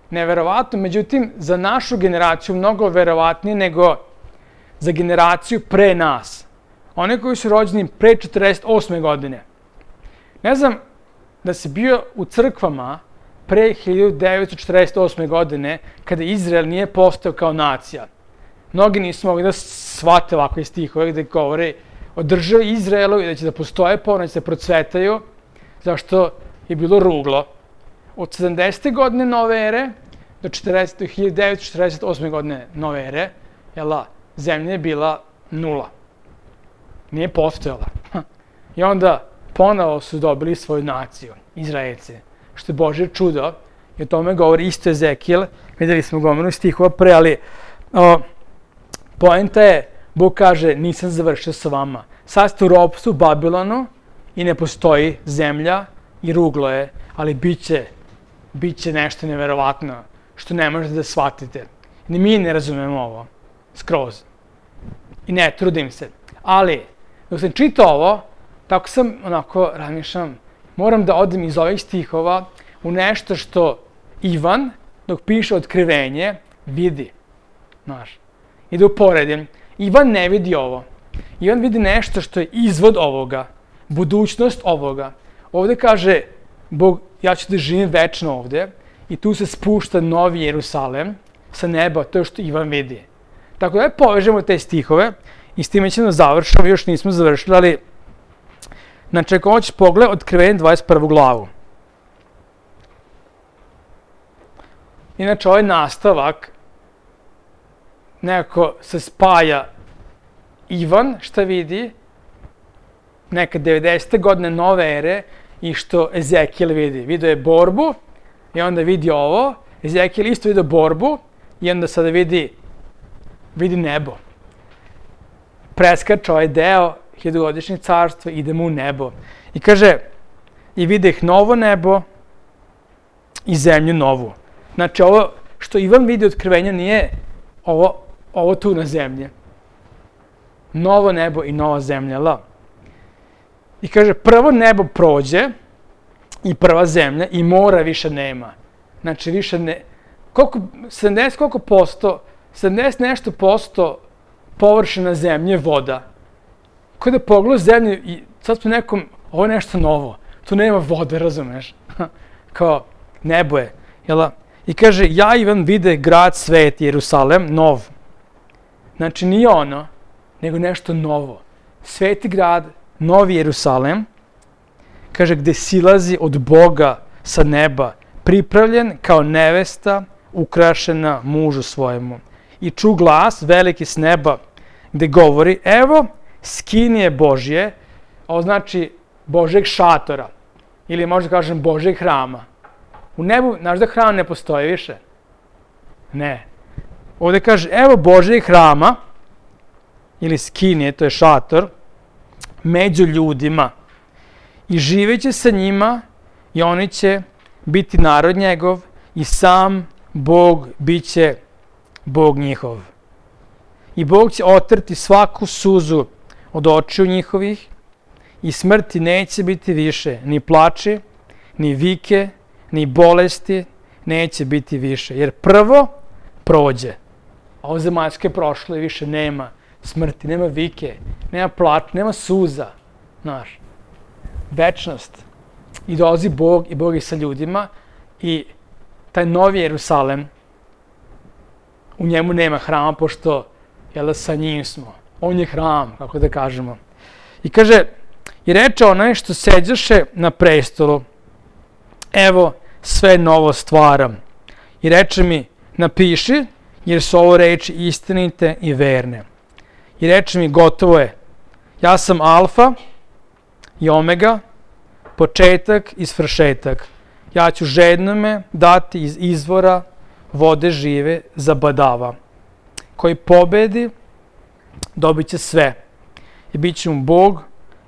neverovatno, međutim za našu generaciju mnogo verovatnije nego za generaciju pre nas. One koji su rođeni pre četrdeset osme godine. Ne znam da si bio u crkvama pre hiljadu devetsto četrdeset osme godine kada Izrael nije postao kao nacija. Mnogi nisu mogli da shvate ovakve stihove gde govore o državi Izraelu i da će da postoje ponovno, da će se procvetaju, zašto je bilo ruglo. Od sedamdesete godine nove ere do hiljadu devetsto četrdeset osme godine nove ere, jela, zemlja je bila nula. Nije postojala. I onda ponovo su dobili svoju naciju, Izraelci, što je Božje čudo. I o tome govori isto Ezekijel. Videli smo gomilu stihova pre, ali o, poenta je, Bog kaže, nisam završio sa vama. Sad ste u ropstvu u Babilonu i ne postoji zemlja i ruglo je, ali bit će, bit će nešto neverovatno što ne možete da shvatite. Ni mi ne razumemo ovo, skroz. I ne, trudim se. Ali, dok sam čitao ovo, tako sam onako razmišljam, moram da odem iz ovih stihova u nešto što Ivan, dok piše Otkrivenje, vidi. Znaš, i da uporedim. Ivan ne vidi ovo. Ivan vidi nešto što je izvod ovoga, budućnost ovoga. Ovde kaže Bog, ja ću da živim večno ovde i tu se spušta novi Jerusalem sa neba, to je što Ivan vidi. Tako da povežemo te stihove i s time ćemo da završamo, još nismo završili, ali znači ako hoćeš pogled, Otkrivenje dvadeset prvu glavu. Inače, ovaj nastavak nekako se spaja Ivan, šta vidi, neka devedesete godine nove ere i što Ezekijel vidi. Vidio je borbu i onda vidi ovo. Ezekijel isto vidio borbu i onda sada vidi, vidi nebo. Preskače ovaj deo hiljadugodišnje carstva, idemo u nebo. I kaže, i videh novo nebo i zemlju novu. Znači, ovo što Ivan vidi Otkrivenja nije ovo, ovo tu na zemlji. Novo nebo i nova zemlja, la. I kaže, prvo nebo prođe i prva zemlja i mora više nema. Znači, više ne... Koliko, sedamdeset koliko posto, sedamdeset nešto posto površina zemlje je voda. Kada da pogledaju zemlju i sad smo nekom, ovo je nešto novo. Tu nema vode, razumeš? Kao, nebo je, jel? I kaže, ja Ivan vide grad svet, Jerusalem, nov. Znači, nije ono, nego nešto novo. Sveti grad, novi Jerusalem, kaže, gde silazi od Boga sa neba, pripravljen kao nevesta, ukrašena mužu svojemu. I ču glas veliki s neba, gde govori, evo, skinije Božje, ovo znači Božjeg šatora, ili možda kažem Božjeg hrama. U nebu, znaš da hram ne postoji više? Ne. Ovde kaže, evo Božjeg hrama, ili skinije, to je šator, među ljudima. I živeće sa njima i oni će biti narod njegov i sam Bog bit će Bog njihov. I Bog će otrti svaku suzu od očiju njihovih i smrti neće biti više, ni plači, ni vike, ni bolesti neće biti više. Jer prvo prođe. A ovo zemaljsko je prošlo i više nema smrti, nema vike, nema plača, nema suza. Znaš, večnost. i dolazi Bog i Bog je sa ljudima i taj novi Jerusalem, u njemu nema hrama, pošto jel, sa njim smo. On je hram, kako da kažemo. I kaže, i reče onaj što seđaše na prestolu, evo sve novo stvaram. I reče mi, napiši, jer su ovo reči istinite i verne. I reče mi, gotovo je. Ja sam Alfa i Omega, početak i svršetak. Ja ću žednome dati iz izvora vode žive zabadava. Koji pobedi, dobit će sve. I bit će mu Bog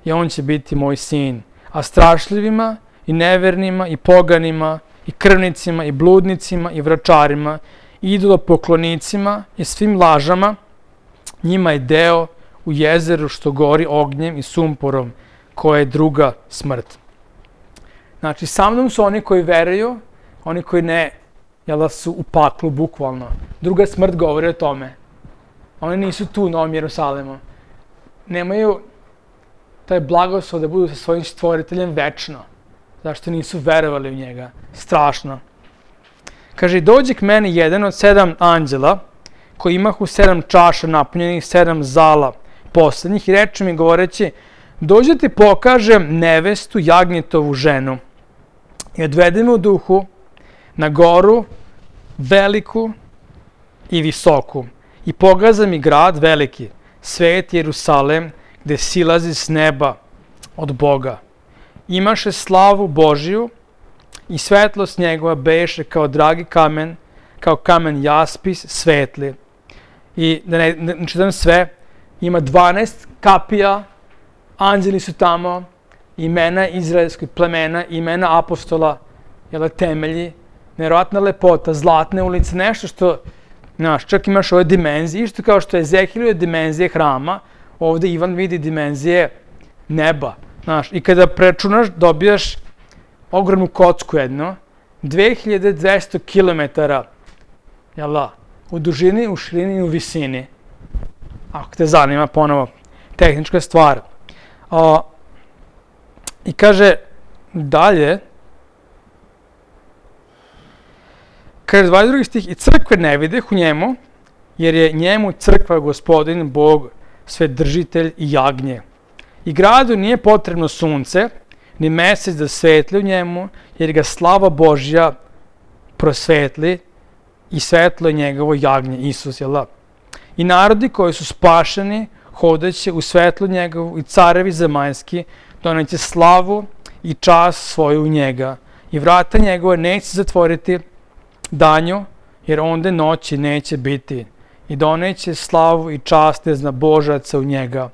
i on će biti moj sin. A strašljivima i nevernima i poganima i krvnicima i bludnicima i vračarima i idolopoklonicima i svim lažama, njima je deo u jezeru što gori ognjem i sumporom, koja je druga smrt. Znači, sa mnom su oni koji veruju, oni koji ne, jel su u paklu, bukvalno. Druga smrt govori o tome. Oni nisu tu u Novom Jerusalemu. Nemaju taj blagoslov da budu sa svojim stvoriteljem večno. Zašto nisu verovali u njega. Strašno. Kaže, dođe k meni jedan od sedam anđela, koji imahu sedam čaša napunjenih, sedam zala poslednjih, i reče mi govoreći, dođe ti pokažem nevestu jagnjetovu ženu. I odvede me u duhu na goru veliku i visoku. I pogaza mi grad veliki, svet Jerusalem, gde silazi s neba od Boga. Imaše slavu Božiju i svetlost njegova beše kao dragi kamen, kao kamen jaspis svetli. I da ne, ne čitam sve, ima dvanaest kapija, anđeli su tamo, imena izraelskih plemena, imena apostola, jel, temelji, nevjerovatna lepota, zlatne ulice, nešto što, znaš, čak imaš ove dimenzije, isto kao što je Ezekijel dimenzije hrama, ovde Ivan vidi dimenzije neba, znaš, i kada preračunaš, dobijaš ogromnu kocku jedno, dve hiljade dvesta kilometara, jel da, u dužini, u širini i u visini. Ako te zanima, ponovo, tehnička stvar. O, I kaže dalje, kaže dvadeset drugi stih, i crkve ne videh u njemu, jer je njemu crkva Gospodin, Bog, svedržitelj i jagnje. I gradu nije potrebno sunce, ni mesec da svetli u njemu, jer ga slava Božja prosvetli i svetlo je njegovo jagnje, Isus, jel da? I narodi koji su spašeni, hodeće u svetlu njegovu, i carevi zemaljski doneće slavu i čast svoju u njega. I vrata njegove neće zatvoriti danju, jer onda noći neće biti. I doneće slavu i čast božaca u njega.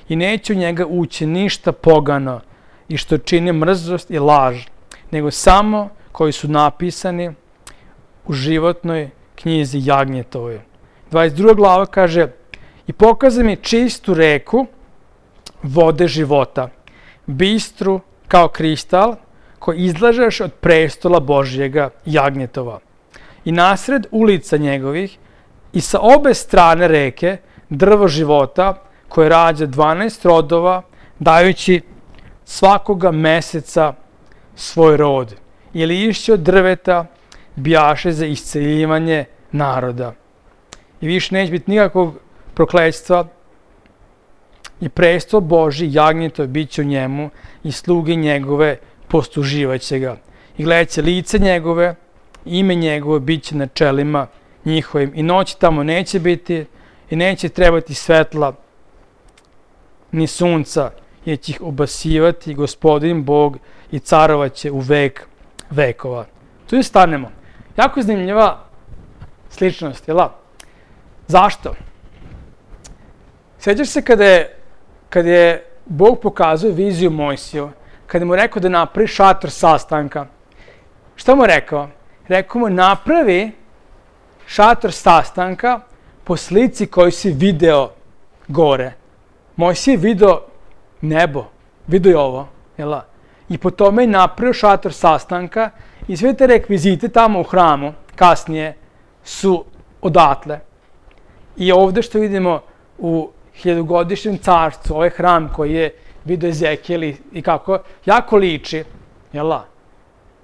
I neće u njega ući ništa pogano, i što čini mrzost i laž, nego samo koji su napisani u životnoj knjizi jagnjetovoj. dvadeset druga glava kaže, i pokaza mi čistu reku vode života, bistru kao kristal, koji izlažeš od prestola Božjega jagnjetova. I nasred ulica njegovih i sa obe strane reke drvo života, koje rađa dvanaest rodova, dajući svakoga meseca svoj rod. I lišće od drveta bijaše za isceljivanje naroda. I više neće biti nikakvog prokletstva, i prestol Božji jagnjetov bit će u njemu, i sluge njegove postuživaće ga. I gledat će lice njegove, ime njegove bit će na čelima njihovim, i noći tamo neće biti, i neće trebati svetla ni sunca, jer će ih obasivati Gospodin Bog i carovaće u vek vekova. Tu je stanemo. Jako zanimljiva sličnost, jel' da? Zašto? Sjećaš se kada je, kada je Bog pokazao viziju Mojsiju, kada mu rekao da napravi šator sastanka. Šta mu rekao? Rekao mu, napravi šator sastanka po slici koju si video gore. Mojsije je video nebo, video je ovo, jel? I po tome je napravio šator sastanka, i sve te rekvizite tamo u hramu, kasnije, su odatle. I ovde što vidimo u hiljadugodišnjem carstvu, ovaj hram koji je video Ezekijel i kako, jako liči Jel la?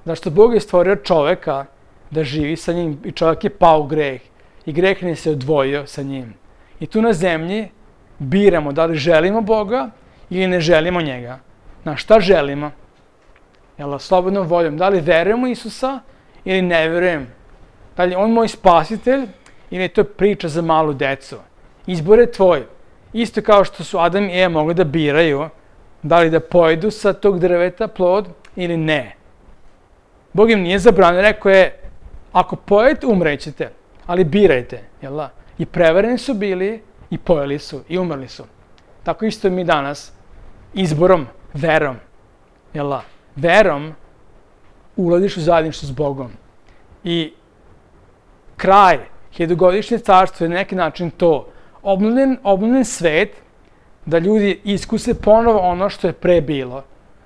Zašto Bog je stvorio čoveka da živi sa njim i čovjek je pao u greh i greh ne se odvojio sa njim. I tu na zemlji biramo da li želimo Boga ili ne želimo njega. Na šta želimo? Jel, slobodnom voljom. Da li verujemo Isusa ili ne verujem? Da li je on moj spasitelj ili je to priča za malu decu? Izbor je tvoj. Isto kao što su Adam i Eva mogli da biraju da li da pojedu sa tog drveta plod ili ne. Bog im nije zabranio, rekao je, ako pojedete, umrećete, ali birajte, jel da? I prevareni su bili, i pojeli su, i umrli su. Tako isto mi danas, izborom, verom, jel da? Verom ulaziš u zajedništvo s Bogom. I kraj, hiljadugodišnje carstvo je na neki način to, obnovljen, obnovljen svet, da ljudi iskuse ponovo ono što je pre bilo,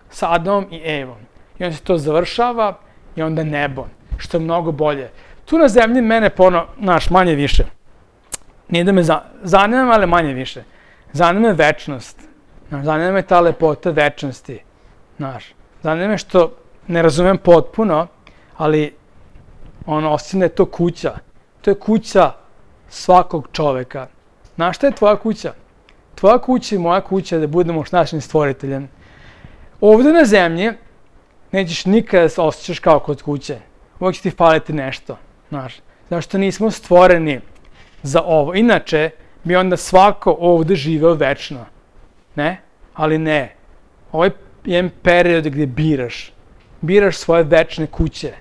sa Adamom i Evom. I onda se to završava i onda nebo, što je mnogo bolje. Tu na zemlji mene ponovo, znaš, manje više. Nije da me za, zanima, ali manje više. Zanima me večnost. Znaš, zanima me ta lepota večnosti. Znaš, zanima me što ne razumem potpuno, ali ono, osjećam da je to kuća. To je kuća svakog čoveka. Znaš šta je tvoja kuća? Tvoja kuća i moja kuća je da budemo s našim stvoriteljem. Ovde na zemlji nećeš nikada se osjećaš kao kod kuće. Uvijek će ti faliti nešto. Znaš, zašto nismo stvoreni za ovo. Inače, bi onda svako ovde živeo večno. Ne? Ali ne. Ovo je jedan period gdje biraš. Biraš svoje večne kuće.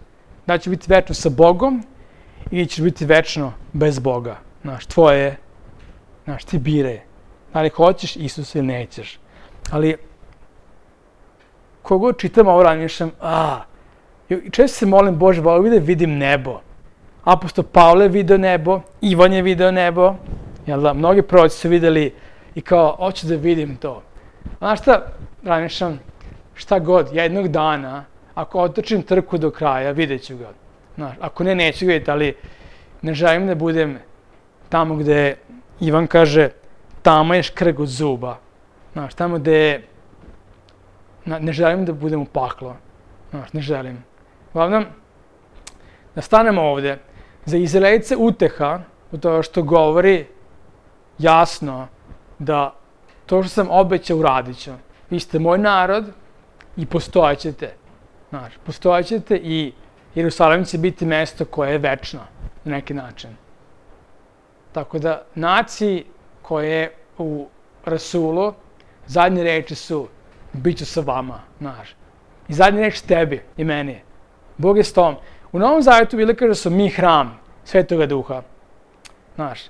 Da će biti večno sa Bogom ili ćeš biti večno bez Boga. Znaš, tvoje je. Znaš, ti biraj. Da li hoćeš Isusa ili nećeš. Ali, kogo čitam ovo razmišljam, a, često se molim Bože, volio bih da vidim nebo. Apostol Pavle je video nebo, Ivan je video nebo, jel da, mnogi proroci su videli i kao, hoću da vidim to. Znaš šta, razmišljam, šta god, jednog dana, ako otočim trku do kraja, vidjet ću ga. Znaš, ako ne, neću ga vidjeti, ali ne želim da budem tamo gde Ivan kaže, tamo je škrg od zuba. Znaš, tamo gde je, ne želim da budem u paklo. Znaš, ne želim. Uglavnom, da stanemo ovde, za Izraelce uteha, u to što govori jasno da to što sam obećao uradit ću. Vi ste moj narod i postojaćete. Znaš, postojaćete i Jerusalim će biti mesto koje je večno na neki način. Tako da, naciji koje u Rasulu, zadnje reči su bit ću sa vama, znaš. I zadnje reči tebi i meni. Bog je s tom. U Novom Zavjetu Biblia kaže da su mi hram Svetoga Duha. Znaš,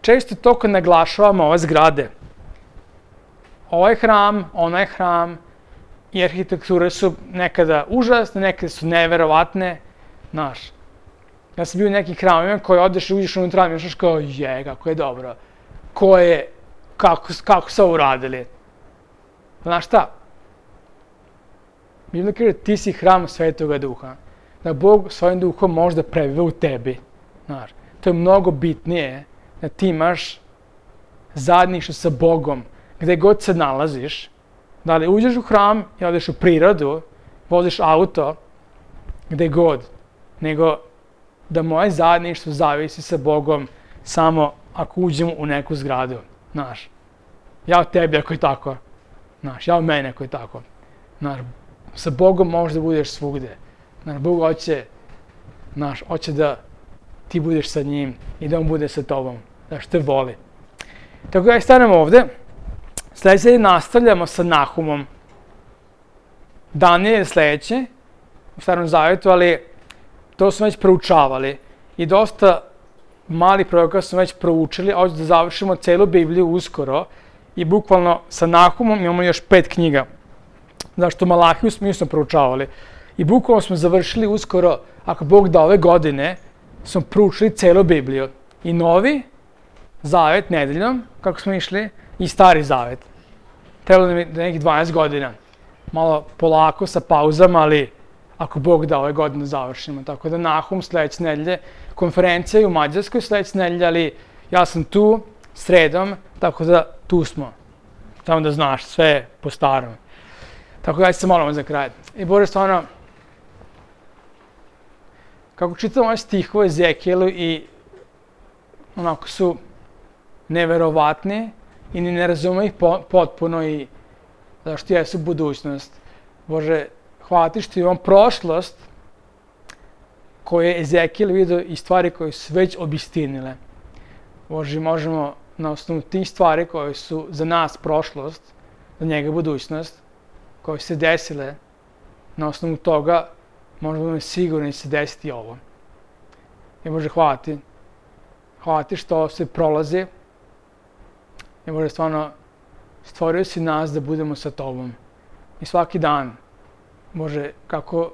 često to kad naglašavamo ove zgrade. Ovaj hram, onaj hram i arhitekture su nekada užasne, nekada su neverovatne. Znaš, ja sam bio u nekim hramima koji odeš i uđeš unutra i misliš kao je, kako je dobro. Ko je, kako, kako su uradili. Znaš šta? Biblia kaže ti si hram Svetoga Duha. Da Bog svojim duhom može da prebiva u tebi. Znaš, to je mnogo bitnije da ti imaš zajedništvo sa Bogom gde god se nalaziš, da li uđeš u hram i odeš u prirodu, voziš auto, gde god, nego da moje zajedništvo zavisi sa Bogom samo ako uđemo u neku zgradu. Znaš, ja od tebi ako je tako, znaš, ja od mene ako je tako. Znaš, sa Bogom možeš da budeš svugde. Znaš, Bog hoće, znaš, hoće da ti budeš sa njim i da on bude sa tobom, da što te voli. Tako da stanemo ovde, sledeće nastavljamo sa Nahumom. Danijel je sledeće, u Starom Zavjetu, ali to smo već proučavali i dosta malih proroka smo već proučili, a hoću da završimo celu Bibliju uskoro i bukvalno sa Nahumom imamo još pet knjiga. Zašto Malahiju smo isto proučavali. I bukvalno smo završili uskoro, ako Bog da ove godine, smo proučili celu Bibliju. I Novi Zavet nedeljom, kako smo išli, i Stari Zavet. Trebalo nam je nekih dvanaest godina. Malo polako, sa pauzama, ali ako Bog da ove godine završimo. Tako da Nahum sledeće nedelje, konferencija je u Mađarskoj sledeće nedelje, ali ja sam tu sredom, tako da tu smo. Samo da znaš, sve je po starom. Tako da se molimo za kraj. I Bože, stvarno, kako čitam ove stihove Ezekijelu i onako su neverovatni i ni ne razume ih potpuno i zašto jesu budućnost. Bože, hvala ti što imam prošlost koju je Ezekijel vidio i stvari koje su već obistinile. Bože, možemo na osnovu tih stvari koje su za nas prošlost, za njega budućnost, koje su se desile, na osnovu toga možemo biti sigurni da će se desiti ovo. I Bože, hvala ti. Hvala ti što se prolazi. I Bože, stvarno, stvorio si nas da budemo sa tobom. I svaki dan, Bože, kako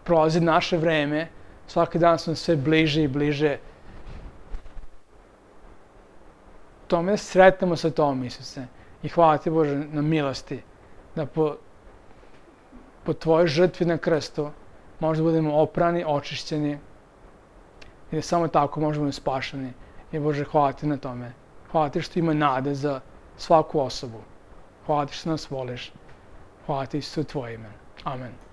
prolazi naše vreme, svaki dan smo sve bliže i bliže tome da sretnemo sa tobom, Isuse. I hvala ti, Bože, na milosti, da po, po tvojoj žrtvi na krstu možda budemo oprani, očišćeni i da samo tako možemo biti spašeni. I Bože, hvala ti na tome. Hvala ti što ima nade za svaku osobu. Hvala ti što nas voliš. Hvala ti što je tvoje ime. Amen.